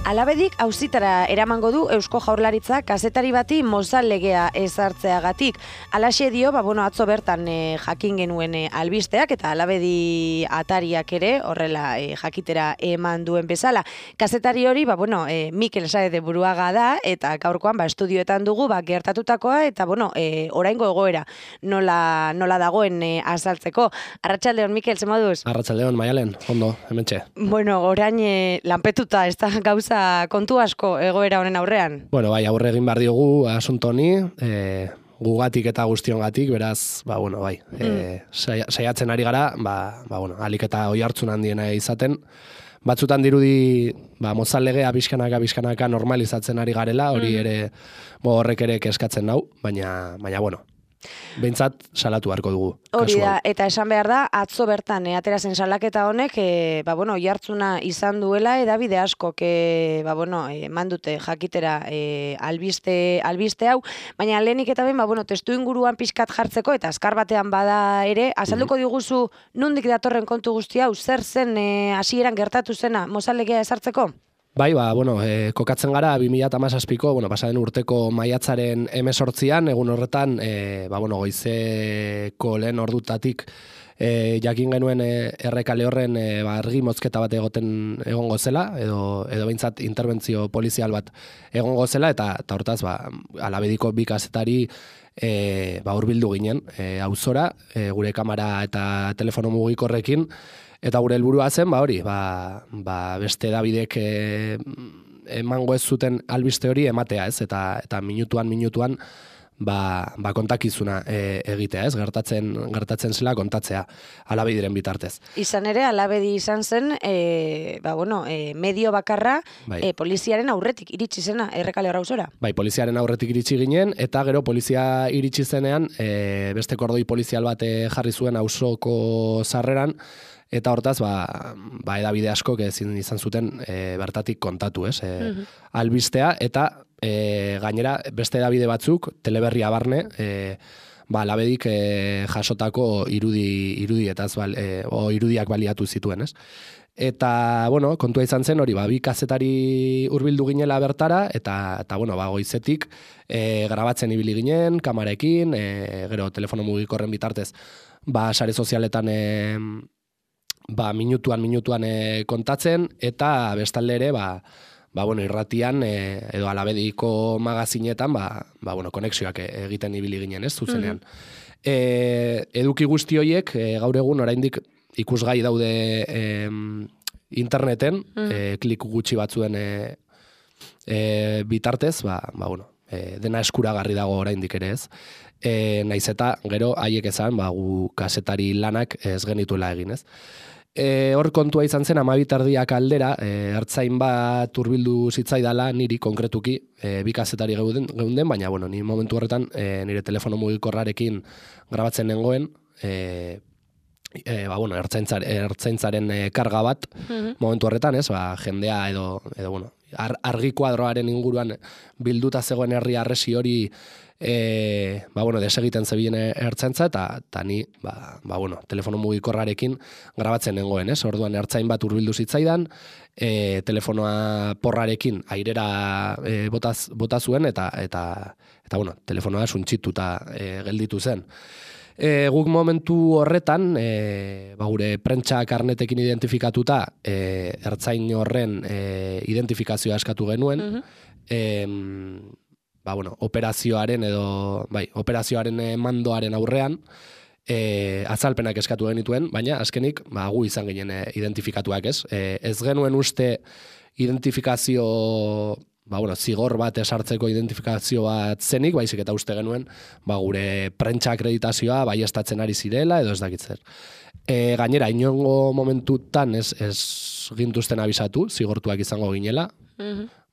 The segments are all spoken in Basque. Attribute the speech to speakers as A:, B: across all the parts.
A: Alabedik auzitara eramango du Eusko Jaurlaritza kazetari bati mozal legea ezartzeagatik. Halaxe dio, atzo bertan jakin genuen albisteak eta Alabedi atariak ere horrela jakitera eman duen bezala. Kazetari hori, Mikel Saez de Buruaga da eta gaurkoan estudioetan dugu gertatutakoa eta oraingo egoera nola dagoen azaltzeko. Arratsaldeon Mikel, ze moduz?
B: Arratsaldeon Maialen, ondo, hementxe.
A: Orain lanpetuta ez da gauza kontu asko egoera honen aurrean.
B: Bai, aurre egin behar diogu asunto honi, gugatik eta guztiongatik, beraz, saiatzen ari gara, alik eta oihartzun handiena izaten. Batzutan dirudi, mozal legea bizkanaka normalizatzen ari garela, hori ere, horrek ere keskatzen nau, baina, behintzat salatu beharko dugu.
A: Hori da, eta esan behar da, atzo bertan atera zen salaketa honek, oihartzuna izan duela, edabide askok, mandute jakitera albiste hau, baina lehenik eta behin, testu inguruan pixkat jartzeko, eta azkar batean bada ere, azalduko diguzu nondik datorren kontu guzti hau, zer zen hasieran gertatu zena mozal legea ezartzeko?
B: Bai, kokatzen gara 2017ko, pasaden urteko maiatzaren 18an, egun horretan, goizeko lehen ordutatik jakin genuen errekale horren argi mozketa bat egongo zela, edo behintzat interbentzio polizial bat egongo zela, eta hortaz, Alabediko bi kazetari hurbildu ginen, auzora, gure kamera eta telefono mugikorrekin, eta gure helburua zen, beste Davidek emango ez zuten albiste hori ematea, ez? Eta minutuan kontakizuna egitea, ez? Gertatzen zela kontatzea Alabediren bitartez.
A: Izan ere, Alabedi izan zen, medio bakarra poliziaren aurretik iritsi zena errekale auzora.
B: Bai, poliziaren aurretik iritsi ginen, eta gero polizia iritsi zenean, beste kordoi polizial bat jarri zuen auzoko sarreran, eta hortaz, edabide askok ezin izan zuten bertatik kontatu, ez? Albistea, eta gainera beste edabide batzuk, Teleberria barne, Alabedik jasotako irudietaz, irudiak baliatu zituen, ez? Eta, kontua izan zen hori, bi kazetari hurbildu ginela bertara, eta goizetik grabatzen ibili ginen, kamarekin, gero telefono mugikorren bitartez, sare sozialetan minutuan kontatzen, eta bestalde ere, irratian, edo Alabediko magazinetan, konexioak egiten ibili ginen, ez, zuzenean. Eduki guzti horiek, gaur egun oraindik ikusgai daude interneten, klik gutxi batzuen bitartez, dena eskuragarri dago oraindik ere, ez. Naiz eta gero haiek esan, gu kazetari lanak ez genituela egin, ez. Hor kontua izan zen 12:30 aldera, ertzain bat hurbildu zitzaidala niri konkretuki, bi kazetari geunden, baina ni momentu horretan nire telefono mugikorrarekin grabatzen nengoen, ertzaintzaren karga bat momentu horretan, ez, jendea edo argi kuadroaren inguruan bilduta zegoen herri harresi hori desegiten zebien ertzaintza, eta ni, telefono mugikorrarekin grabatzen nengoen, ez? Orduan ertzain bat hurbildu zitzaidan, telefonoa porrarekin airera bota zuen, eta telefonoa suntsituta gelditu zen. Guk momentu horretan, gure prentsa karnetekin identifikatuta, ertzain horren identifikazioa eskatu genuen, operazioaren mandoaren aurrean azalpenak eskatu genituen, baina azkenik gu izan ginen identifikatuak, ez? Ez genuen uste identifikazio zigor bat esartzeko identifikazio bat zenik, baizik eta uste genuen gure prentsa akreditazioa baiestatzen ari zirela edo ez dakitzer. Gainera, inongo momentutan ez gintuzten abisatu, zigortuak izango ginela,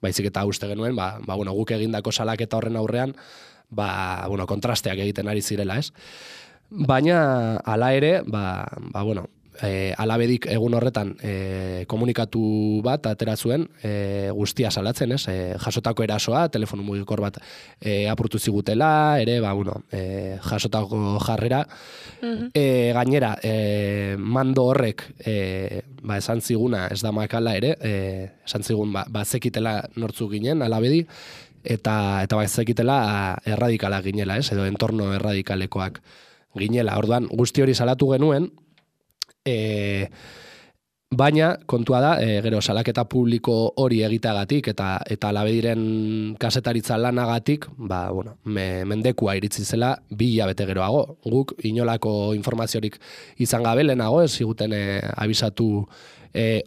B: baizik eta uste genuen, guk egindako salaketa horren aurrean, kontrasteak egiten ari zirela, ez? Baina, hala ere, Alabedik egun horretan komunikatu bat atera zuen, guztia salatzen, ez? Jasotako erasoa, telefono mugikor bat apurtu zigutela, ere, jasotako jarrera. Gainera, mando horrek, esan ziguna, ez da makala ere, esan zigun, zekitela nortzu ginen, Alabedi, eta zekitela erradikala ginela, ez? Edo entorno erradikalekoak ginela. Orduan, guzti hori salatu genuen, baina kontua da, gero salaketa publiko hori egiteagatik eta Alabediren kasetaritza lanagatik, mendekua iritsi zela 2 hilabete geroago. Guk inolako informaziorik izan gabe lehenago, ez ziguten abisatu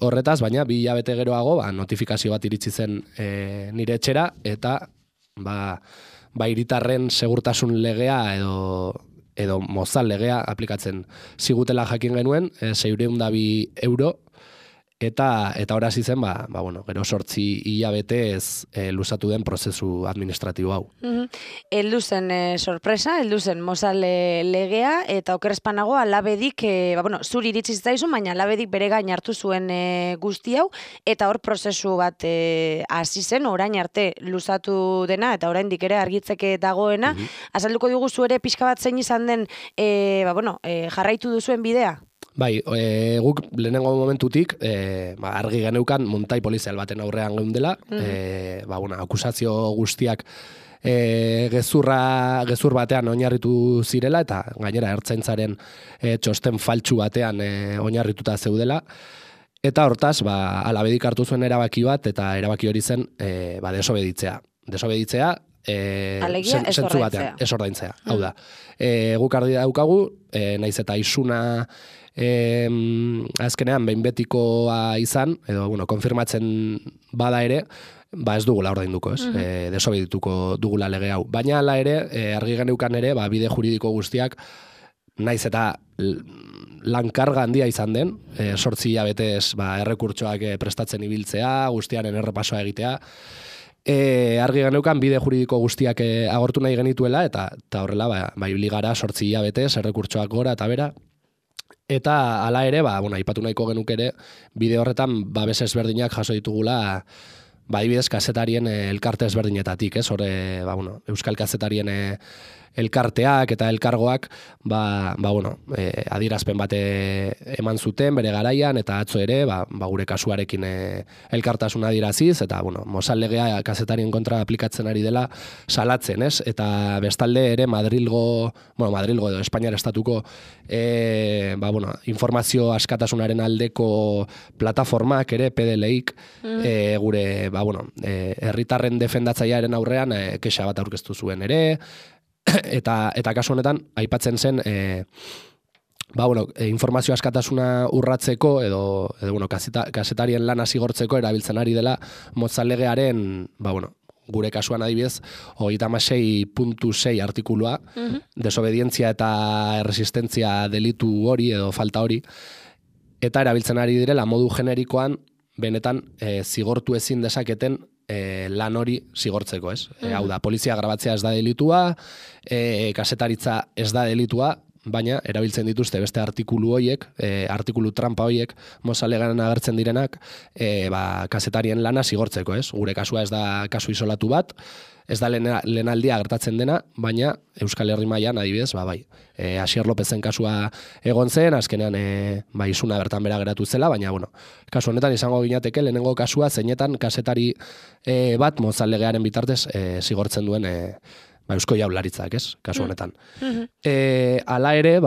B: horretaz, baina 2 hilabete geroago notifikazio bat iritsi zen nire etxera, eta hiritarren segurtasun legea edo mozal legea aplikatzen zigutela jakin genuen, 602 euro, eta horazi zen, gero 8 hilabetez luzatu den prozesu administratibo hau.
A: Heldu zen sorpresa, heldu zen mozal legea, eta okerrezpanago Alabedik, zuri iritsi zitzaizu, baina Alabedik bere gain hartu zuen guzti hau, eta hor prozesu bat hasi zen, orain arte luzatu dena, eta oraindik ere argitzeke dagoena. Azalduko dugu zu ere pixka bat zein izan den, jarraitu duzuen bidea?
B: Bai, guk lehenengo momentutik argi geneukan muntai polizial baten aurrean geundela, akusazio guztiak gezur batean oinarritu zirela, eta gainera ertzaintzaren txosten faltsu batean oinarrituta zeudela, eta hortaz, Alabedik hartu zuen erabaki bat, eta erabaki hori zen desobeditzea. Desobeditzea, zentzu batean, ez ordaintzea. Hau da, guk argi daukagu, naiz eta isuna azkenean behin betikoa izan, edo konfirmatzen bada ere, ez dugula ordainduko, ez? Desobedituko dugula lege hau. Baina hala ere, argi geneukan ere, bide juridiko guztiak, naiz eta lankarga handia izan den, 8 hilabetez errekurtsoak prestatzen ibiltzea, guztiaren errepasoa egitea, argi geneukan bide juridiko guztiak agortu nahi genituela, eta horrela, ibili gara 8 hilabetez, errekurtsoak gora eta bera, eta hala ere, aipatu nahiko genuk ere, bide horretan babes ezberdinak jaso ditugula, adibidez kazetarien elkarte ezberdinetatik, ez? Hor, Euskal Kazetarien elkarteak eta elkargoak, adierazpen bate eman zuten bere garaian, eta atzo ere, gure kasuarekin elkartasuna adieraziz, eta, mozal legea kazetarien kontra aplikatzen ari dela salatzen, ez? Eta bestalde ere Madrilgo edo Espainiar estatuko informazio askatasunaren aldeko plataformak ere, PDL-ik, gure, herritarren defendatzailearen aurrean kexa bat aurkeztu zuen ere, eta kasu honetan aipatzen zen informazio askatasuna urratzeko edo kazetarien lana zigortzeko erabiltzen ari dela mozal legearen, gure kasuan adibidez 36.6 artikulua, desobedientzia eta erresistentzia delitu hori edo falta hori, eta erabiltzen ari direla modu generikoan benetan zigortu ezin dezaketen lan hori zigortzeko, ez? Hau da, polizia grabatzea ez da delitua, kasetaritza ez da delitua, baina erabiltzen dituzte beste artikulu hoiek, artikulu trampa hoiek, mozalegan agertzen direnak, kazetarien lana zigortzeko, ez? Gure kasua ez da kasu isolatu bat, ez da lehenaldia gertatzen dena, baina Euskal Herri mailan adibidez, bai. Asier Lopezen kasua egon zen, azkenean isuna bertan bera geratu zela, baina, kasu honetan izango ginateke lehenengo kasua zeinetan kazetari bat mozal legearen bitartez zigortzen duen Eusko Jaurlaritzak, ez, kasu honetan. Hala ere,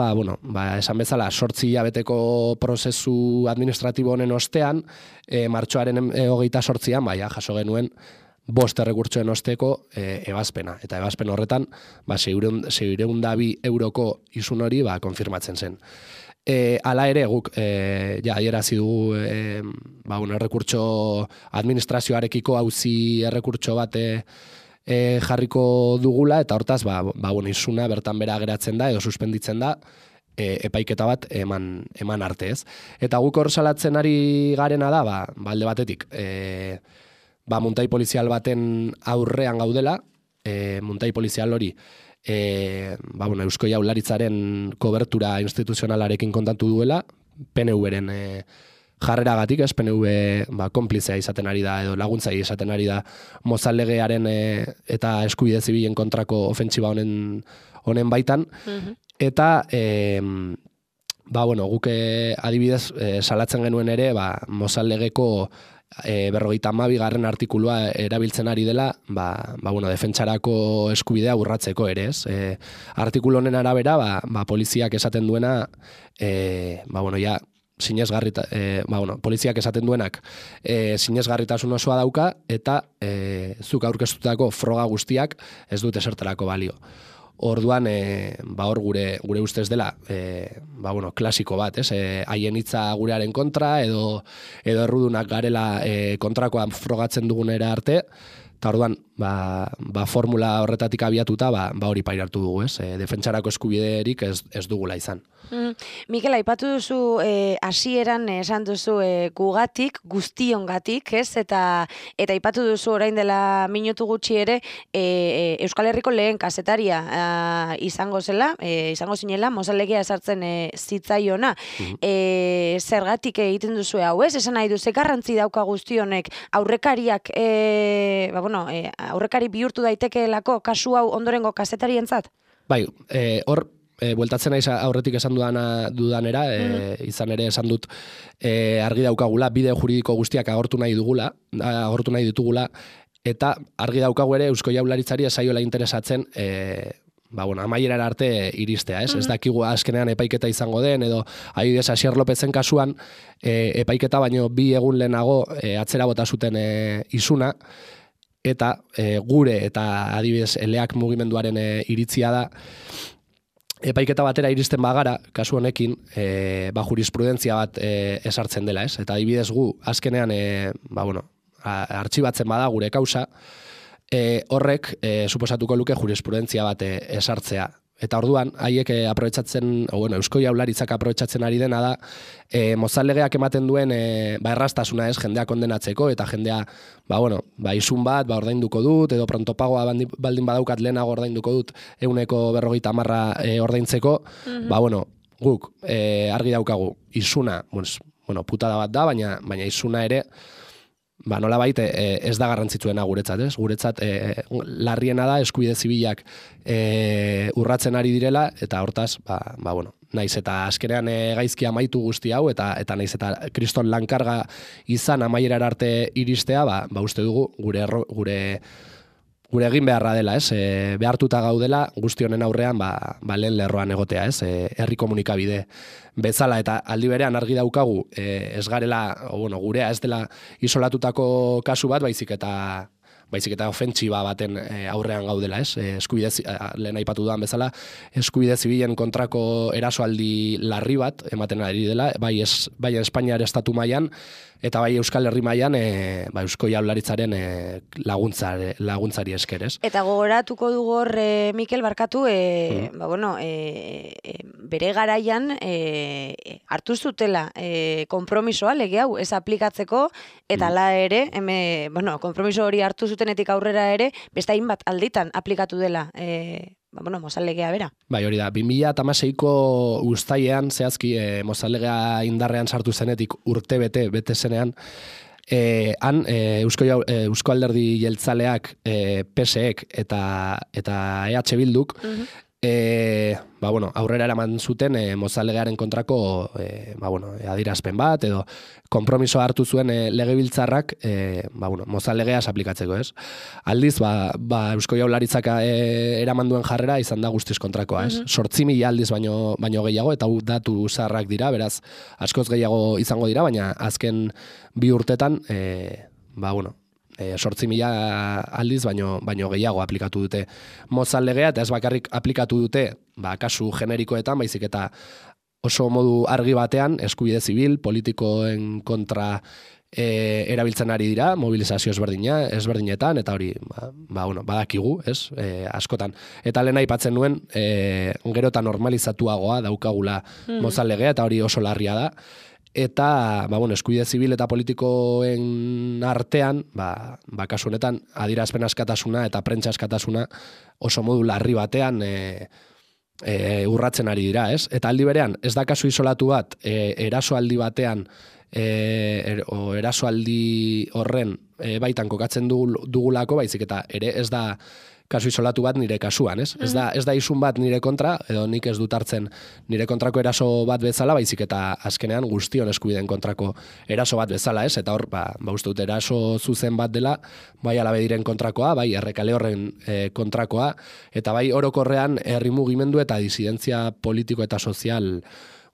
B: esan bezala, 8 hilabeteko prozesu administratibo honen ostean, martxoaren 28an, jaso genuen 5 errekurtsoen osteko ebazpena. Eta ebazpen horretan, 602 euroko isun hori konfirmatzen zen. Hala ere, guk adierazi dugu errekurtso administrazioarekiko auzi errekurtso bat jarriko dugula, eta hortaz, isuna bertan bera geratzen da, edo suspenditzen da, epaiketa bat eman arte, ez. Eta guk hor salatzen ari garena da, alde batetik, muntai polizial baten aurrean gaudela, muntai polizial hori, Eusko Jaurlaritzaren kobertura instituzionalarekin kontatu duela, PNV-ren jarreragatik, ez PNV konplizea izaten ari da edo laguntzaile izaten ari da Mozal legearen eta eskubide zibilen kontrako ofentsiba honen baitan. Eta guk adibidez salatzen genuen ere Mozal legeko 52. artikulua erabiltzen ari dela, defentsarako eskubidea urratzeko ere, ez? Artikulu honen arabera, poliziak esaten duena, poliziak esaten duenak sinesgarritasun osoa dauka, eta zuk aurkeztutako froga guztiak ez dute esertarako balio. Orduan, hor gure ustez dela, klasiko bat, ez? Haien hitza gurearen kontra, edo errudunak garela kontrakoan frogatzen dugunera arte, eta orduan, formula horretatik abiatuta, hori pairatu dugu, ez? Defentsarako eskubiderik ez dugula izan.
A: Mikel, aipatu duzu hasieran esan duzu gugatik, guztiongatik, ez? Eta aipatu duzu orain dela minutu gutxi ere Euskal Herriko lehen kazetaria izango zinela, Mozal legea esartzen zitzaiona. Zergatik egiten duzu hau, ez? Esan nahi du, ze garrantzi dauka guztionek aurrekariak, aurrekari bihurtu daitekeelako kasu hau ondorengo kazetarientzat?
B: Bai, hor bueltatzen naiz aurretik esan dudanera, izan ere esan dut argi daukagula, bide juridiko guztiak agortu nahi ditugula, eta argi daukagu ere Eusko Jaurlaritzari ez zaiola interesatzen amaierara arte iristea, ez? Ez dakigu azkenean epaiketa izango den, edo adibidez Asier Lopezen kasuan epaiketa baino 2 egun lehenago atzera bota zuten isuna, eta gure eta adibidez eleak mugimenduaren iritzia da, epaiketa batera iristen bagara, kasu honekin, jurisprudentzia bat esartzen dela, ez? Eta adibidez gu, azkenean, artxibatzen bada gure kausa, horrek suposatuko luke jurisprudentzia bat esartzea. Eta orduan, haiek Eusko Jaurlaritzak aprobetxatzen ari dena da, Mozal legeak ematen duen erraztasuna, ez, jendea kondenatzeko, eta jendea, isun bat, ordainduko dut, edo prontopagoa baldin badaukat lehenago ordainduko dut, 150 ordaintzeko, guk argi daukagu, isuna, putada bat da, baina isuna ere, nolabait ez da garrantzitsuena guretzat, ez? Guretzat larriena da eskubide zibilak urratzen ari direla, eta hortaz, naiz eta azkenean gaizki amaitu guzti hau, eta naiz eta kriston lankarga izan amaierara arte iristea, uste dugu gure egin beharra dela, ez? Behartuta gaudela guzti honen aurrean lehen lerroan egotea, ez? Herri komunikabide bezala, eta aldi berean argi daukagu ez garela, gurea ez dela isolatutako kasu bat, baizik eta ofentsiba baten aurrean gaudela, ez? Lehen aipatu dudan bezala, eskubide zibilen kontrako erasoaldi larri bat ematen ari dela, bai Espainiar estatu mailan eta bai Euskal Herri mailan Eusko Jaurlaritzaren laguntzari esker, ez?
A: Eta gogoratuko dugu hor, Mikel, barkatu, bere garaian hartu zutela konpromisoa lege hau ez aplikatzeko, eta hala ere, konpromiso hori hartu zutenetik aurrera ere, beste hainbat alditan aplikatu dela Mozal legea bera.
B: Bai, hori da, 2016ko uztailean, zehazki, Mozal legea indarrean sartu zenetik urte bete zenean, han Eusko Alderdi Jeltzaleak, PSek eta EH Bilduk, aurrera eraman zuten Mozal legearen kontrako adierazpen bat, edo konpromiso hartu zuen legebiltzarrak Mozal legeaz aplikatzeko, ez? Aldiz, Eusko Jaurlaritzak eraman duen jarrera izan da guztiz kontrakoa, ez? 8.000 aldiz baino gehiago, eta datu zaharrak dira, beraz, askoz gehiago izango dira, baina azken 2 urtetan, 8.000 aldiz baino gehiago aplikatu dute Mozal legea, eta ez bakarrik aplikatu dute kasu generikoetan, baizik eta oso modu argi batean eskubide zibil, politikoen kontra erabiltzen ari dira, mobilizazio ezberdinetan, eta hori badakigu, ez, askotan. Eta lehen aipatzen nuen, gero eta normalizatuagoa daukagula Mozal legea, eta hori oso larria da. Eta, eskubide zibil eta politikoen artean, kasu honetan, adierazpen askatasuna eta prentsa askatasuna oso modu larri batean urratzen ari dira, ez? Eta aldi berean, ez da kasu isolatu bat, erasoaldi batean, erasoaldi horren baitan kokatzen dugulako, baizik eta ere ez da kasu isolatu bat nire kasuan, ez? Ez da isun bat nire kontra, edo nik ez dut hartzen nire kontrako eraso bat bezala, baizik eta azkenean guztion eskubideen kontrako eraso bat bezala, ez? Eta hor, uste dut eraso zuzen bat dela, bai Alabediren kontrakoa, bai Errekale horren kontrakoa, eta bai orokorrean herri mugimendu eta disidentzia politiko eta sozial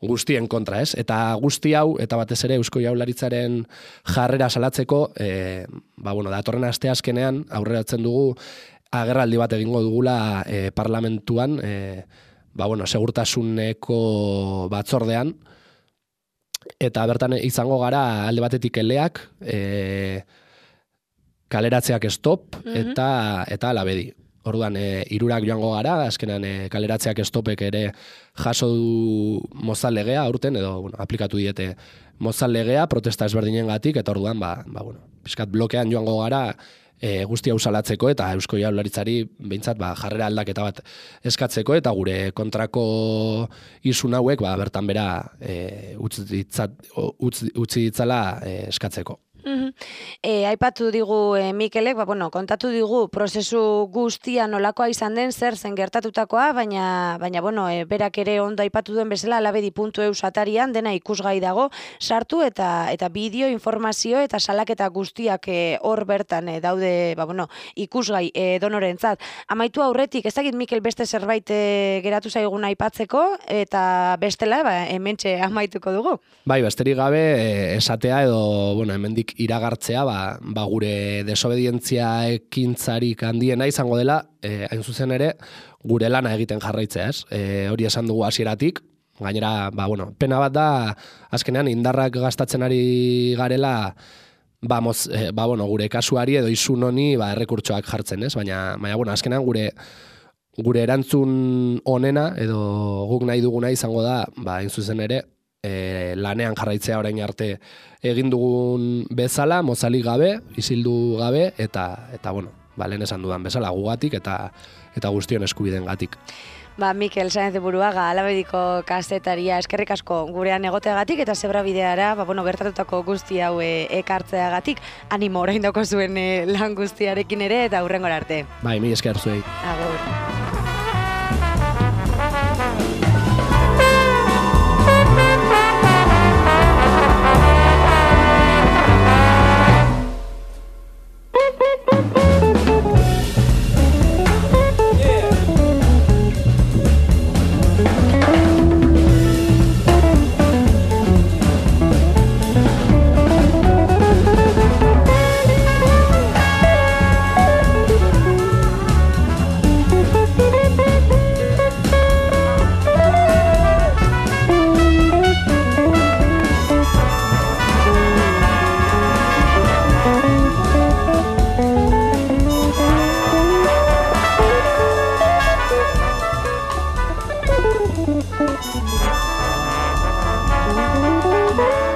B: guztien kontra, ez? Eta guzti hau, eta batez ere Eusko Jaurlaritzaren jarrera salatzeko, datorren aste azkenean aurreratzen dugu agerraldi bat egingo dugula parlamentuan, segurtasuneko batzordean, eta bertan izango gara alde batetik eleak, kaleratzeak stop, eta Alabedi. Orduan, hirurak joango gara, azkenan kaleratzeak stopek ere jaso du mozal legea aurten, edo aplikatu diete mozal legea, protesta ezberdinen gatik, eta orduan, pixkat blokean joango gara, guztia usalatzeko eta Eusko Jaurlaritzari behintzat jarrera aldaketa bat eskatzeko eta gure kontrako isun hauek bertan bera utzi ditzala eskatzeko.
A: Aipatu digu Mikelek, kontatu digu prozesu guztia nolakoa izan den, zer zen gertatutakoa, baina berak ere ondo aipatu duen bezala alabedi.eus atarian dena ikusgai dago, sartu eta bideo, informazio eta salaketa guztiak hor bertan daude ikusgai donorentzat. Amaitu aurretik, ez dakit Mikel beste zerbait geratu zaigun aipatzeko, eta bestela hementxe amaituko dugu.
B: Bai, besterik gabe esatea edo hemendik iragartzea, gure desobedientzia ekintzarik handiena izango dela, hain zuzen ere, gure lana egiten jarraitzea, ez? Hori esan dugu hasieratik, gainera, pena bat da, azkenean indarrak gastatzen ari garela, gure kasuari edo isun honi errekurtsoak jartzen, ez? Baina azkenean gure erantzun onena, edo guk nahi duguna izango da, hain zuzen ere, lanean jarraitzea orain arte egin dugun bezala, mozalik gabe, isildu gabe, eta lehen esan dudan bezala gugatik eta guztion eskubideen gatik.
A: Mikel Saenz de Buruaga, Alabediko kazetaria, eskerrik asko gurean egoteagatik eta Zebrabideara gertatutako guzti hau ekartzeagatik, animo orain dauko zuen lan guztiarekin ere eta hurrengora arte.
B: Mila esker zuei.
A: Agur.
C: Bye.